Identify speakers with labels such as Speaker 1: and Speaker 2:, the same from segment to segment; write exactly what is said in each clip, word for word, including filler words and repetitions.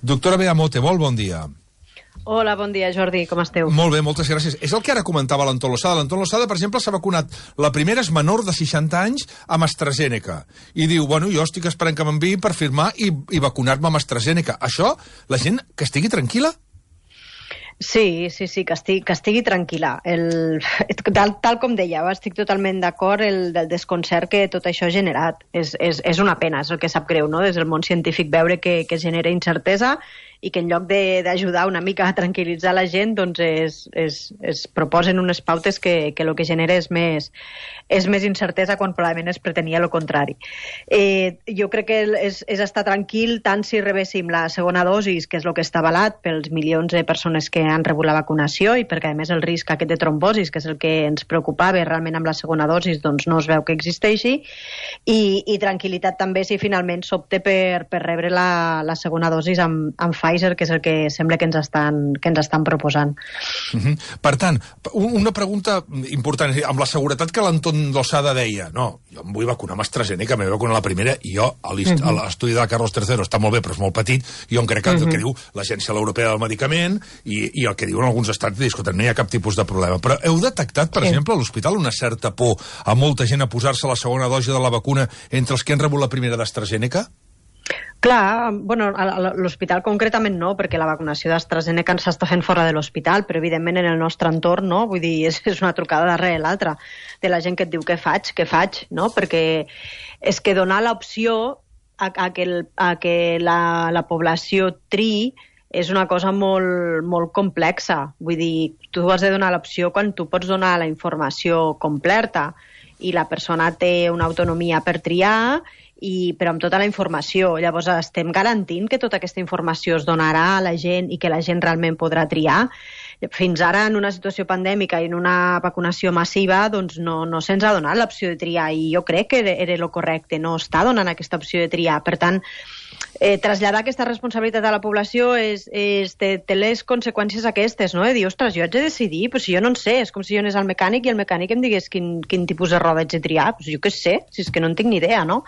Speaker 1: Doctora Bea Mote, molt bon dia.
Speaker 2: Hola, bon dia, Jordi, com esteu?
Speaker 1: Molt bé, moltes gràcies. És el que ara comentava l'Anton Losada. L'Anton Losada, per exemple, s'ha vacunat. La primera és menor de seixanta anys amb AstraZeneca. I diu, bueno, jo estic esperant que m'enviï per firmar i, i vacunar-me amb AstraZeneca. Això, la gent que estigui tranquil·la?
Speaker 2: Sí, sí, sí, que estigui, que estigui tranquil·la. El, tal, tal com dèieu, estic totalment d'acord el del desconcert que tot això ha generat. És, és, és una pena, és el que sap greu, no?, des del món científic veure que, que genera incertesa i que en lloc d'ajudar una mica a tranquil·litzar la gent, doncs es, es, es proposen unes pautes que, que el que genera és més, és més incertesa quan probablement es pretenia el contrari. Eh, jo crec que és, és estar tranquil tant si rebéssim la segona dosis, que és el que està avalat pels milions de persones que han rebut la vacunació i perquè a més el risc aquest de trombosis, que és el que ens preocupava realment amb la segona dosis, doncs no es veu que existeixi, i, i tranquil·litat també si finalment s'opte per, per rebre la, la segona dosis amb, amb Pfizer, que és el que sembla que ens estan, que ens estan proposant.
Speaker 1: Uh-huh. Per tant, una pregunta important, amb la seguretat que l'Anton Losada deia, no, jo em vull vacunar amb AstraZeneca, m'he vacunar la primera, i jo, a l'estudi de Carlos tercero està molt bé, però és molt petit, i jo em crec que el que diu l'Agència Europea del Medicament, i, i el que diuen alguns estats, disculpen, no hi ha cap tipus de problema. Però heu detectat, per exemple, a l'hospital una certa por a molta gent a posar-se la segona dosi de la vacuna entre els que han rebut la primera d'AstraZeneca?
Speaker 2: Clar, bueno, a l'hospital concretament no, perquè la vacunació d'AstraZeneca s'està fent fora de l'hospital, però evidentment en el nostre entorn, no? Vull dir, és, és una trucada darrere l'altra de la gent que et diu què faig, què faig, no? Perquè és que donar l'opció a, a que, el, a que la, la població triï és una cosa molt, molt complexa. Vull dir, tu has de donar l'opció quan tu pots donar la informació completa i la persona té una autonomia per triar, i, però amb tota la informació. Llavors estem garantint que tota aquesta informació es donarà a la gent i que la gent realment podrà triar. Fins ara, en una situació pandèmica i en una vacunació massiva, doncs no, no se'ns ha donat l'opció de triar, i jo crec que era el correcte, no està donant aquesta opció de triar. Per tant, eh, traslladar aquesta responsabilitat a la població és, és, té, té les conseqüències aquestes, no? De dir, ostres, jo haig de decidir, però si jo no en sé, és com si jo anés al mecànic i el mecànic em digués quin, quin tipus de roda haig de triar, doncs jo què sé, si és que no en tinc ni idea, no?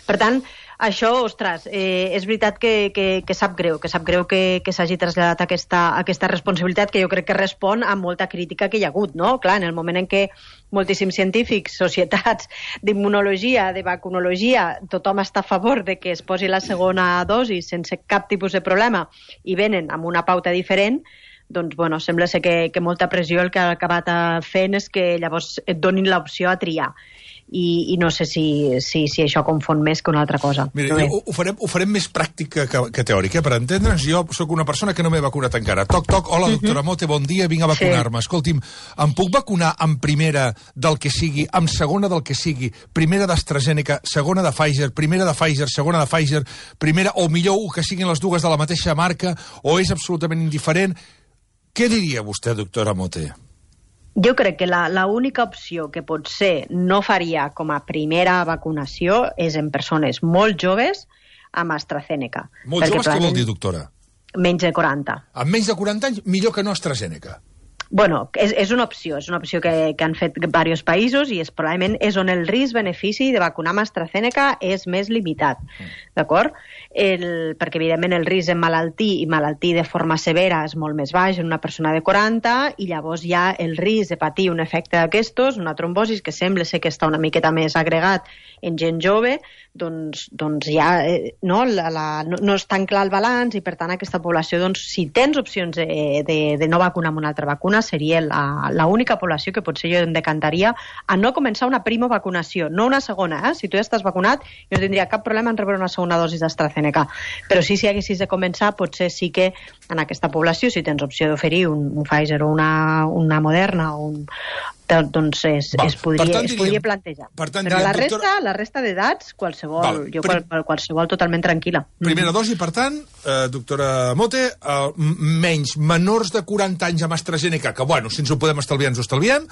Speaker 2: Per tant, això, ostres, eh, és veritat que, que, que sap greu, que sap greu que, que s'hagi traslladat aquesta, aquesta responsabilitat, que jo crec que respon a molta crítica que hi ha hagut, no? Clar, en el moment en què moltíssims científics, societats d'immunologia, de vacunologia, tothom està a favor de que es posi la segona dosi sense cap tipus de problema i venen amb una pauta diferent, doncs, bueno, sembla ser que, que molta pressió el que ha acabat fent és que llavors et donin l'opció a triar. I, i no sé si, si, si això confon més que una altra cosa.
Speaker 1: Mira, ho, ho, farem, ho farem més pràctic que, que teòric, eh? Per entendre'ns, jo sóc una persona que no m'he vacunat encara. Toc, toc, hola, doctora Mote, bon dia, vinc a vacunar-me. Sí. Escolti'm, em puc vacunar en primera del que sigui, en segona del que sigui, primera d'AstraZeneca, segona de Pfizer, primera de Pfizer, segona de Pfizer, primera, o millor, que siguin les dues de la mateixa marca, o és absolutament indiferent? Què diria vostè, doctora Mote?
Speaker 2: Jo crec que la, la única opció que potser no faria com a primera vacunació és en persones molt joves amb AstraZeneca.
Speaker 1: Molt joves, què vol dir, doctora?
Speaker 2: Menys de quaranta.
Speaker 1: Amb menys de quaranta anys, millor que no AstraZeneca.
Speaker 2: Bueno, és, és una opció, és una opció que, que han fet diversos països i és, probablement és on el risc-benefici de vacunar amb AstraZeneca és més limitat, mm. d'acord? El, perquè, evidentment, el risc de malaltir i malaltir de forma severa és molt més baix en una persona de quaranta i llavors hi ha el risc de patir un efecte d'aquestos, una trombosis, que sembla ser que està una miqueta més agregat en gent jove, doncs, doncs ja eh, no, la, la, no, no és tan clar el balanç i, per tant, aquesta població, doncs, si tens opcions de, de, de no vacunar amb una altra vacuna, seria l'única població que potser jo em decantaria a no començar una prima vacunació, no una segona. Eh? Si tu ja estàs vacunat, jo no tindria cap problema en rebre una segona dosi d'AstraZeneca. Però sí, si haguessis de començar, potser sí que en aquesta població, si tens opció d'oferir un, un Pfizer o una, una Moderna o un doncs es, es, podria, tant, diríem, es podria plantejar. Tant, però diríem, la resta, doctora... la resta d'edats, qualsevol, Val, jo prim... qualsevol totalment tranquil·la.
Speaker 1: Primera mm. dosi, per tant, eh, doctora Mote, eh, menys menors de quaranta anys amb AstraZeneca, que, bueno, si ens ho podem estalviar, ens ho estalviem,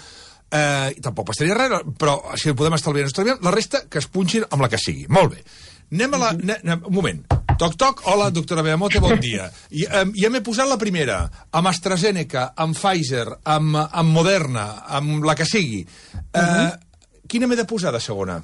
Speaker 1: eh, i tampoc passaria res, però si ho podem estalviar, ens ho estalviem, la resta que es punxin amb la que sigui. Molt bé. Anem a la... Mm -hmm. anem, un moment. Toc, toc, hola, doctora Bea Mote, bon dia. I, um, ja m'he posat la primera, amb AstraZeneca, amb Pfizer, amb, amb Moderna, amb la que sigui. Uh, uh -huh. Quina m'he de posar de segona?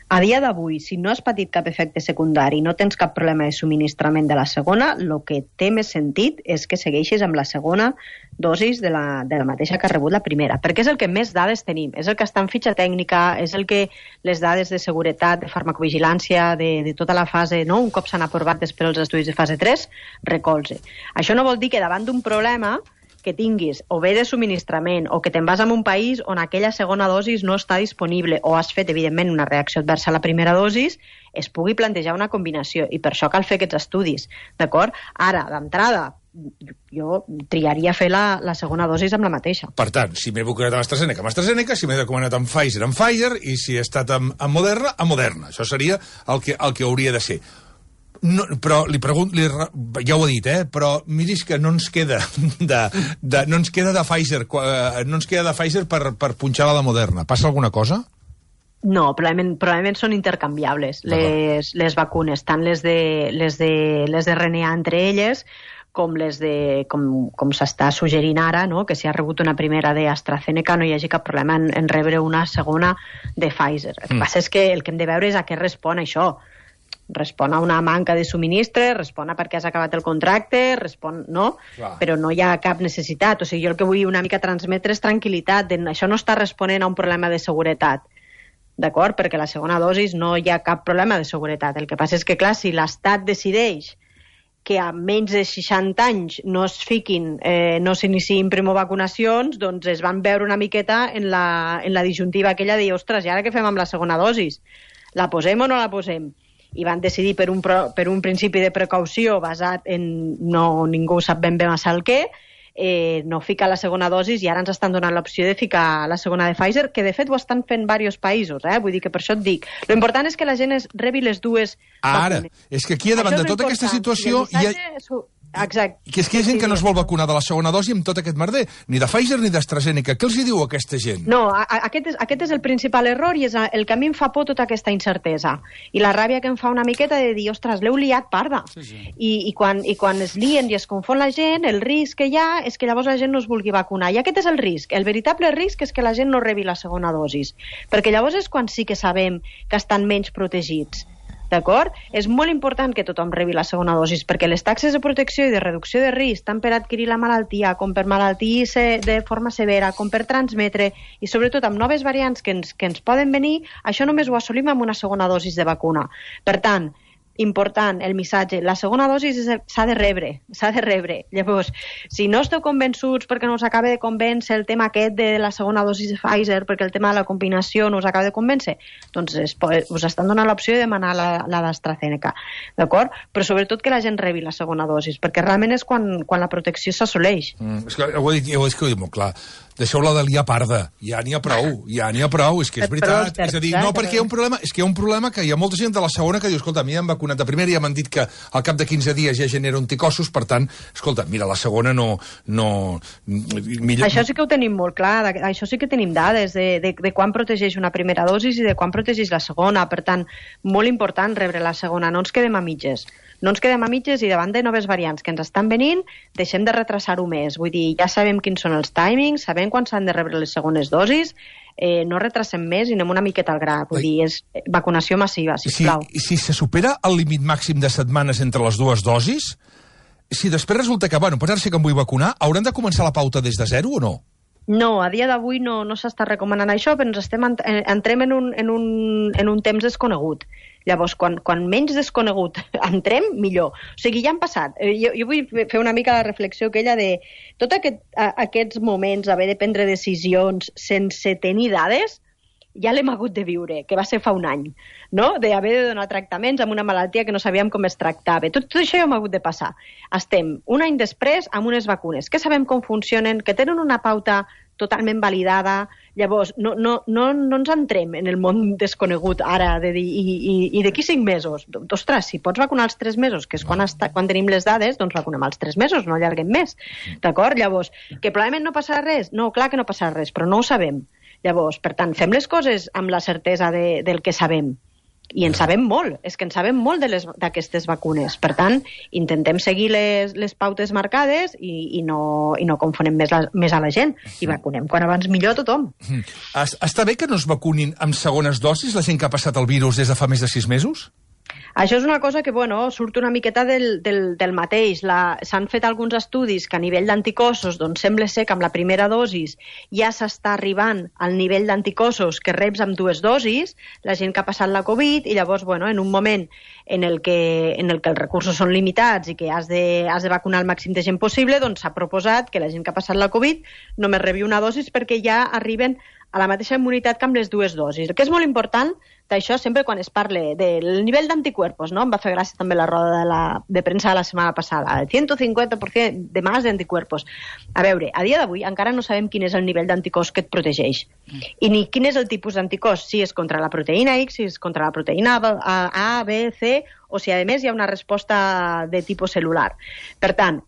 Speaker 2: A dia d'avui, si no has patit cap efecte secundari, no tens cap problema de subministrament de la segona, el que té més sentit és que segueixis amb la segona dosis de la, de la mateixa que ha rebut la primera, perquè és el que més dades tenim, és el que està en fitxa tècnica, és el que les dades de seguretat, de farmacovigilància, de, de tota la fase, no? Un cop s'han aprovat després els estudis de fase tres, recolze. Això no vol dir que davant d'un problema que tinguis o bé de subministrament o que te'n vas a un país on aquella segona dosis no està disponible o has fet, evidentment, una reacció adversa a la primera dosis, es pugui plantejar una combinació i per això cal fer aquests estudis, d'acord? Ara, d'entrada, jo triaria fer la, la segona dosis amb la mateixa.
Speaker 1: Per tant, si m'he vacunat amb AstraZeneca, amb AstraZeneca, si m'he vacunat amb Pfizer, amb Pfizer, i si he estat amb, amb Moderna, amb Moderna. Això seria el que, el que hauria de ser. No, però li pregunto, li, ja ho he dit, eh? Però miris que no ens queda de, de, no ens queda de Pfizer, no ens queda de Pfizer per, per punxar la de Moderna. Passa alguna cosa?
Speaker 2: No, probablement, probablement són intercanviables les, les vacunes, tant les de, les de, les de R N A entre elles, com les de, com, com s'està suggerint ara, no? Que si ha rebut una primera d'AstraZeneca no hi hagi cap problema en, en rebre una segona de Pfizer. El que mm. passa és que el que hem de veure és a què respon això. Respon a una manca de subministre, respon a perquè has acabat el contracte, respon, no? Clar. Però no hi ha cap necessitat. O sigui, jo el que vull una mica transmetre és tranquil·litat. Això no està responent a un problema de seguretat, d'acord? Perquè la segona dosis no hi ha cap problema de seguretat. El que passa és que, clar, si l'Estat decideix que a menys de seixanta anys no es fiquin, eh, no s'iniciïn primovacunacions, doncs es van veure una miqueta en la, en la disjuntiva aquella de dir, ostres, i ara què fem amb la segona dosis? La posem o no la posem? I van decidir per un, per un principi de precaució basat en no, ningú sap ben bé massa el què, eh, no ficar la segona dosis i ara ens estan donant l'opció de ficar la segona de Pfizer, que de fet ho estan fent diversos països, eh? Vull dir que per això et dic. Lo important és que la gent es rebi les dues
Speaker 1: Ara,
Speaker 2: vacunes.
Speaker 1: És que aquí davant de tota aquesta situació hi ha...
Speaker 2: Exacte.
Speaker 1: Que és que hi ha gent que no es vol vacunar de la segona dosi amb tot aquest merder, ni de Pfizer ni d'AstraZeneca. Què els hi diu a aquesta gent?
Speaker 2: No, a, a, aquest, és, aquest és el principal error i és el que a mi em fa por tota aquesta incertesa. I la ràbia que em fa una miqueta de dir, ostres, l'heu liat parda. Sí, sí. I, i, quan, I quan es lien i es confon la gent, el risc que hi ha és que llavors la gent no es vulgui vacunar. I aquest és el risc. El veritable risc és que la gent no rebi la segona dosis. Perquè llavors és quan sí que sabem que estan menys protegits. D'acord? És molt important que tothom rebi la segona dosis, perquè les taxes de protecció i de reducció de risc, tant per adquirir la malaltia, com per malaltir de forma severa, com per transmetre, i sobretot amb noves variants que ens, que ens poden venir, això només ho assolim amb una segona dosis de vacuna. Per tant, important, el missatge, la segona dosi s'ha de rebre, s'ha de rebre. Llavors, si no esteu convençuts perquè no us acaba de convèncer el tema aquest de la segona dosi de Pfizer, perquè el tema de la combinació no us acaba de convèncer, doncs es, us estan donant l'opció de demanar la, la d'AstraZeneca, d'acord? Però sobretot que la gent rebi la segona dosi, perquè realment és quan, quan la protecció s'assoleix.
Speaker 1: Mm, és que ho he dit, ho he dit molt clar. Deixeu-la de liar parda, ja n'hi ha prou, ja n'hi ha prou, és que és veritat. És a dir, no perquè hi ha un problema, és que hi ha un problema que hi ha molta gent de la segona que diu, escolta, a mi em vacunat de primera i ja m'han dit que al cap de quinze dies ja genera anticossos, per tant, escolta, mira, la segona no... no
Speaker 2: millor... Això sí que ho tenim molt clar, això sí que tenim dades de, de, de quan protegeix una primera dosis i de quan protegeix la segona, per tant, molt important rebre la segona, no ens quedem a mitges. No ens quedem a mitges i davant de noves variants que ens estan venint, deixem de retrasar-ho més. Vull dir, ja sabem quins són els timings, sabem quan s'han de rebre les segones dosis, eh, no retrasem més i anem una miqueta al gra. Vull dir, és vacunació massiva, sisplau.
Speaker 1: Si, si se supera el límit màxim de setmanes entre les dues dosis, si després resulta que, bueno, per ara sí que em vull vacunar, hauran de començar la pauta des de zero o no?
Speaker 2: No, a dia d'avui no, no s'està recomanant això, però ens estem, entrem en un, en un, en un temps desconegut. Llavors, quan, quan menys desconegut entrem, millor. O sigui, ja han passat. Jo, jo vull fer una mica la reflexió aquella de tots aquest, aquests moments, haver de prendre decisions sense tenir dades, ja l'hem hagut de viure, que va ser fa un any, no? D'haver de donar tractaments amb una malaltia que no sabíem com es tractava. Tot, tot això ja hem hagut de passar. Estem un any després amb unes vacunes que sabem com funcionen, que tenen una pauta totalment validada. Llavors, no, no, no, no ens entrem en el món desconegut ara de dir, i, i, i d'aquí cinc mesos. Ostres, si pots vacunar els tres mesos, que és quan, està, quan tenim les dades, doncs vacunem els tres mesos, no allarguem més. D'acord? Llavors, que probablement no passarà res? No, clar que no passarà res, però no ho sabem. Llavors, per tant, fem les coses amb la certesa de, del que sabem. I en sabem molt, és que en sabem molt d'aquestes vacunes. Per tant, intentem seguir les, les pautes marcades i, i, no, i no confonem més, la, més a la gent. I vacunem quan abans millor a tothom.
Speaker 1: Està bé que no es vacunin amb segones dosis la gent que ha passat el virus des de fa més de sis mesos?
Speaker 2: Això és una cosa que, bueno, surt una miqueta del, del, del mateix. S'han fet alguns estudis que a nivell d'anticossos, doncs sembla ser que amb la primera dosis ja s'està arribant al nivell d'anticossos que reps amb dues dosis, la gent que ha passat la Covid, i llavors, bueno, en un moment en el que, en el que els recursos són limitats i que has de, has de vacunar el màxim de gent possible, doncs s'ha proposat que la gent que ha passat la Covid només rebi una dosis perquè ja arriben a la mateixa immunitat que amb les dues dosis. El que és molt important d'això sempre quan es parla del nivell d'anticuerpos, no? Em va fer gràcia també la roda de, la, de premsa de la setmana passada, el cent cinquanta per cent de más d'anticuerpos. A veure, a dia d'avui encara no sabem quin és el nivell d'anticòs que et protegeix. I ni quin és el tipus d'anticòs, si és contra la proteïna X, si és contra la proteïna A, B, C, o si a més hi ha una resposta de tipus celular. Per tant,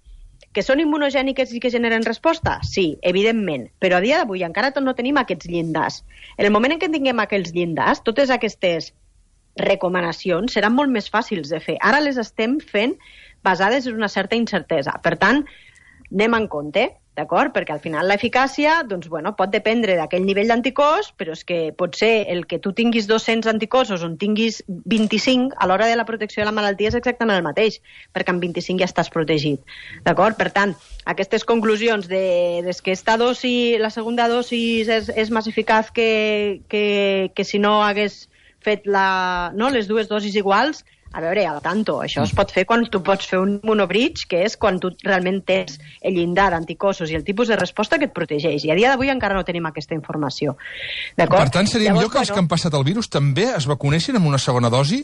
Speaker 2: que són immunogèniques i que generen resposta? Sí, evidentment, però a dia d'avui encara no tenim aquests llindars. En el moment en què tinguem aquests llindars, totes aquestes recomanacions seran molt més fàcils de fer. Ara les estem fent basades en una certa incertesa. Per tant, anem en compte, d'acord? Perquè al final l'eficàcia, doncs, bueno, pot dependre d'aquell nivell d'anticòs, però és que pot ser el que tu tinguis dos-cents anticossos o en tinguis vint-i-cinc, a l'hora de la protecció de la malaltia és exactament el mateix, perquè amb vint-i-cinc ja estàs protegit, d'acord? Per tant, aquestes conclusions de, de que esta dosi, la segona dosi és, és més eficaç que, que, que si no hagués fet la, no, les dues dosis iguals. A veure, al tanto, això es pot fer quan tu pots fer un monobridge, que és quan tu realment tens el llindar d'anticossos i el tipus de resposta que et protegeix. I a dia d'avui encara no tenim aquesta informació.
Speaker 1: Per tant, seria millor que els que han passat el virus també es vacunessin amb una segona dosi?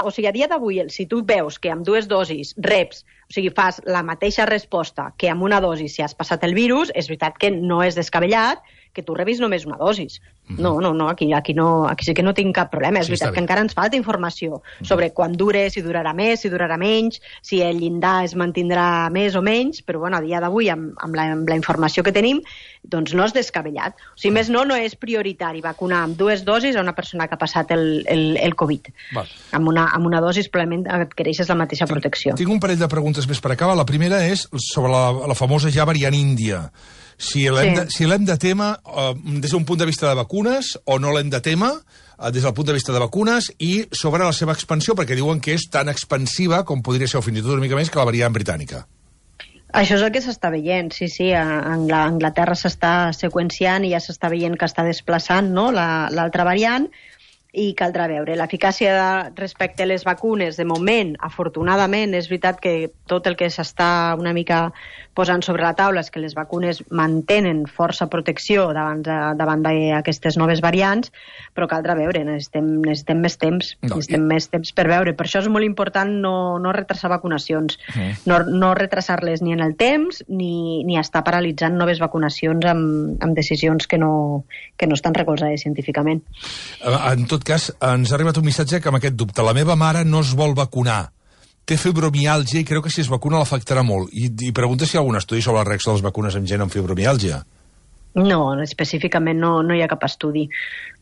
Speaker 2: O sigui, a dia d'avui, si tu veus que amb dues dosis reps, o sigui, fas la mateixa resposta que amb una dosi si has passat el virus, és veritat que no és descabellat que tu rebis només una dosis. Mm-hmm. No, no, no, aquí, aquí, no, aquí sí que no tinc cap problema. És sí, veritat que encara ens falta informació sobre quan dure, si durarà més, si durarà menys, si el llindar es mantindrà més o menys, però bueno, a dia d'avui, amb, amb, la, amb la informació que tenim, doncs no és descabellat. O sigui, més no, no és prioritari vacunar amb dues dosis a una persona que ha passat el, el, el Covid. Val. Amb una, amb una dosis probablement adquireixes la mateixa protecció.
Speaker 1: Tinc, tinc un parell de preguntes més per acabar. La primera és sobre la, la famosa ja variant índia. Si l'hem sí. de, si l'hem de tema eh, des d'un punt de vista de vacunes o no l'hem de tema eh, des del punt de vista de vacunes i sobre la seva expansió, perquè diuen que és tan expansiva com podria ser o fins i tot una mica més que la variant britànica.
Speaker 2: Això és el que s'està veient, sí, sí. A Anglaterra s'està seqüenciant i ja s'està veient que està desplaçant, no?, l'altra la, variant, i caldrà veure. L'eficàcia respecte a les vacunes, de moment, afortunadament, és veritat que tot el que s'està una mica posant sobre la taula és que les vacunes mantenen força protecció davant, davant d'aquestes noves variants, però caldrà veure, necessitem, necessitem més temps, no, necessitem i... més temps per veure. Per això és molt important no, no retrasar vacunacions, mm. no, no retrasar-les ni en el temps, ni, ni estar paralitzant noves vacunacions amb, amb decisions que no, que no estan recolzades científicament.
Speaker 1: En tot cas, ens ha arribat un missatge que amb aquest dubte. La meva mare no es vol vacunar. Té fibromiàlgia i creu que si es vacuna l'afectarà molt. I, i pregunta si hi ha algun estudi sobre la reacció de les vacunes en gent amb fibromiàlgia.
Speaker 2: No, específicament no, no hi ha cap estudi,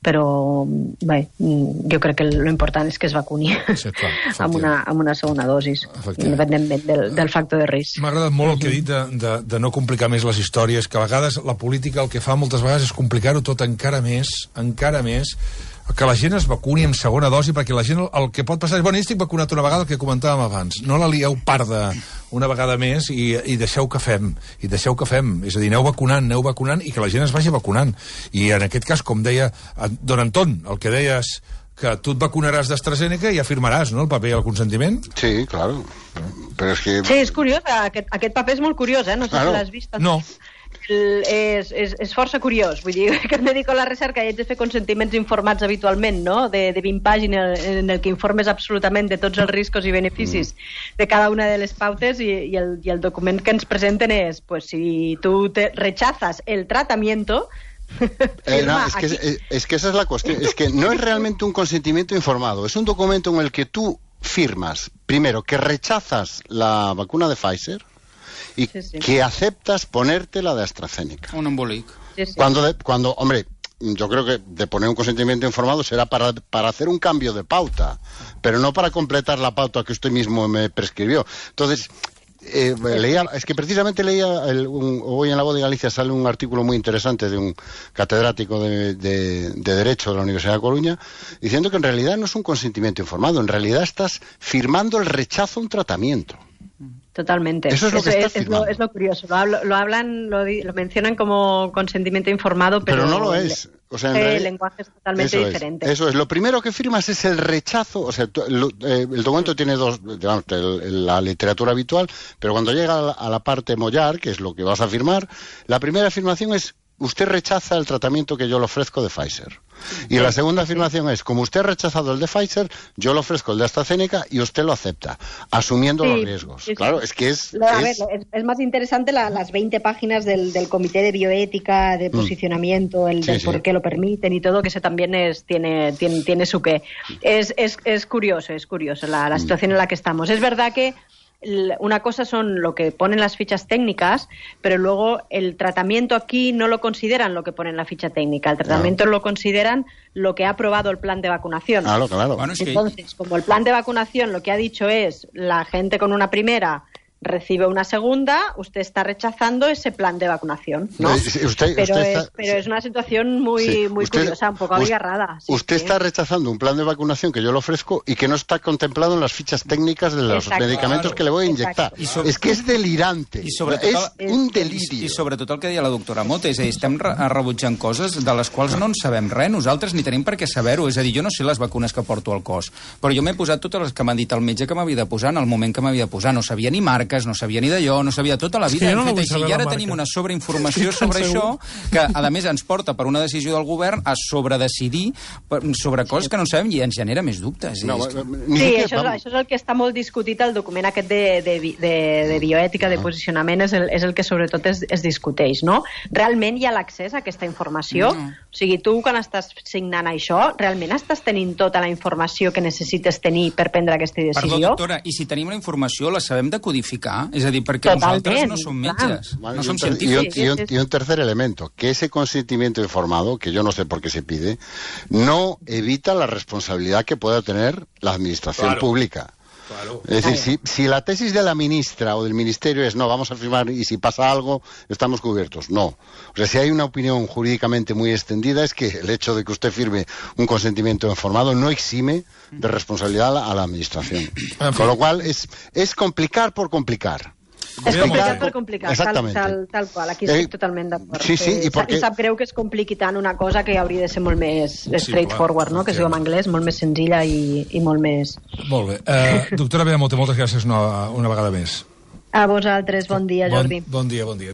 Speaker 2: però bé, jo crec que l'important és que es vacuni sí, clar, amb, una, amb una segona dosis, independentment del, del factor de risc.
Speaker 1: M'ha agradat molt el que he dit de, de, de no complicar més les històries, que a vegades la política el que fa moltes vegades és complicar-ho tot encara més, encara més, que la gent es vacuni amb segona dosi, perquè la gent el, el que pot passar és, bueno, jo estic vacunat una vegada, el que comentàvem abans, no la lieu parda una vegada més i, i deixeu que fem, i deixeu que fem, és a dir, aneu vacunant, aneu vacunant i que la gent es vagi vacunant. I en aquest cas, com deia don Anton, el que deies, que tu et vacunaràs d'AstraZeneca i afirmaràs, no?, el paper i el consentiment?
Speaker 3: Sí, claro. Però és que...
Speaker 2: Sí, és curiós, aquest, aquest paper és molt curiós, eh? No sé claro. Si l'has vist.
Speaker 1: No.
Speaker 2: És, és, és força curiós, vull dir que em dedico a la recerca i haig de fer consentiments informats habitualment, no?, de, de vint pàgines en el que informes absolutament de tots els riscos i beneficis mm. de cada una de les pautes i, i, el, i el document que ens presenten és, pues si tu te rechazas el tratamiento
Speaker 3: eh, no, es, que, es, es que esa es la cuestión, es que no es realmente un consentimiento informado, es un documento en el que tú firmas, primero, que rechazas la vacuna de Pfizer y sí, sí. que aceptas ponerte la de AstraZeneca.
Speaker 4: Un embolic.
Speaker 3: Sí, sí. Cuando, de, cuando, hombre, yo creo que de poner un consentimiento informado será para, para hacer un cambio de pauta, pero no para completar la pauta que usted mismo me prescribió. Entonces, eh, leía, es que precisamente leía, el, un, hoy en La Voz de Galicia sale un artículo muy interesante de un catedrático de, de, de Derecho de la Universidad de Coruña, diciendo que en realidad no es un consentimiento informado, en realidad estás firmando el rechazo a un tratamiento.
Speaker 2: Totalmente.
Speaker 3: Eso es lo que
Speaker 2: es,
Speaker 3: estás
Speaker 2: es, lo, es lo curioso. Lo, hablo, lo hablan, lo, lo mencionan como consentimiento informado, pero,
Speaker 3: pero no lo es. O sea, en
Speaker 2: el
Speaker 3: realidad,
Speaker 2: lenguaje es totalmente
Speaker 3: eso
Speaker 2: diferente.
Speaker 3: Es, eso es. Lo primero que firmas es el rechazo. O sea, lo, eh, el documento tiene dos, digamos, el, la literatura habitual, pero cuando llega a la, a la parte mollar, que es lo que vas a firmar, la primera afirmación es: usted rechaza el tratamiento que yo le ofrezco de Pfizer. Y la segunda afirmación es: como usted ha rechazado el de Pfizer, yo le ofrezco el de AstraZeneca y usted lo acepta, asumiendo sí, los riesgos. Sí, sí. Claro, es que es...
Speaker 2: A
Speaker 3: es...
Speaker 2: ver, es, es más interesante la, las veinte páginas del, del Comité de Bioética, de posicionamiento, el sí, del sí. por qué lo permiten y todo, que ese también es, tiene, tiene, tiene su qué. Es, es, es curioso, es curioso la, la situación en la que estamos. Es verdad que una cosa son lo que ponen las fichas técnicas, pero luego el tratamiento aquí no lo consideran lo que pone en la ficha técnica. El tratamiento no. lo consideran lo que ha aprobado el plan de vacunación.
Speaker 3: Claro, claro.
Speaker 2: Bueno, es que... Entonces, como el plan de vacunación lo que ha dicho es la gente con una primera recibe una segunda, usted está rechazando ese plan de vacunación, ¿no?
Speaker 3: Usted, usted
Speaker 2: pero
Speaker 3: está,
Speaker 2: es, pero es una situación muy,
Speaker 3: sí,
Speaker 2: muy
Speaker 3: usted,
Speaker 2: curiosa, un poco abigarrada.
Speaker 3: Sí, usted sí. está rechazando un plan de vacunación que yo le ofrezco y que no está contemplado en las fichas técnicas de los Exacto. medicamentos claro. que le voy a inyectar. Sobre, és que és delirante.
Speaker 4: I sobretot,
Speaker 3: és un delirio.
Speaker 4: I, I sobretot el que deia la doctora Mota, és a dir, estem re rebutjant coses de les quals no en sabem res, nosaltres ni tenim per què saber-ho. És a dir, jo no sé les vacunes que porto al cos, però jo m'he posat totes les que m'ha dit el metge que m'havia de posar en el moment que m'havia de posar. No sabia ni marques, no sabia ni d'allò, no sabia tota la vida, sí, no fet així, i ara tenim una sobreinformació sí, sobre segur. Això, que a més ens porta per una decisió del govern a sobredecidir sobre coses que no sabem i ens genera més dubtes.
Speaker 3: No,
Speaker 2: sí, això és, això és el que està molt discutit al document aquest de, de, de, de bioètica, de posicionament, és el, és el que sobretot es, es discuteix, no? Realment hi ha l'accés a aquesta informació? No. O sigui, tu quan estàs signant això, realment estàs tenint tota la informació que necessites tenir per prendre aquesta decisió?
Speaker 4: Perdó, doctora, i si tenim la informació, la sabem decodificar? És a dir, perquè que nosotros no somos metges,
Speaker 3: vale,
Speaker 4: no somos
Speaker 3: científicos. Y un, y, un, y un tercer elemento, que ese consentimiento informado, que yo no sé por qué se pide, no evita la responsabilidad que pueda tener la administración claro. pública. Claro. Es decir, si, si la tesis de la ministra o del ministerio es no, vamos a firmar y si pasa algo, estamos cubiertos. No. O sea, si hay una opinión jurídicamente muy extendida es que el hecho de que usted firme un consentimiento informado no exime de responsabilidad a la, a la administración. Con lo cual es, es complicar por complicar.
Speaker 2: És complicat per complicat, tal, tal, tal qual, aquí estic eh, totalment d'acord.
Speaker 3: Sí, sí, i perquè...
Speaker 2: Em sap greu que es compliqui tant una cosa que hauria de ser molt més straightforward, sí, no? Que es diu en anglès, molt més senzilla i, i molt més...
Speaker 1: Molt bé. Uh, doctora Beamonte, moltes gràcies una, una vegada més.
Speaker 2: A vosaltres, bon dia, Jordi.
Speaker 1: Bon, bon dia, bon dia.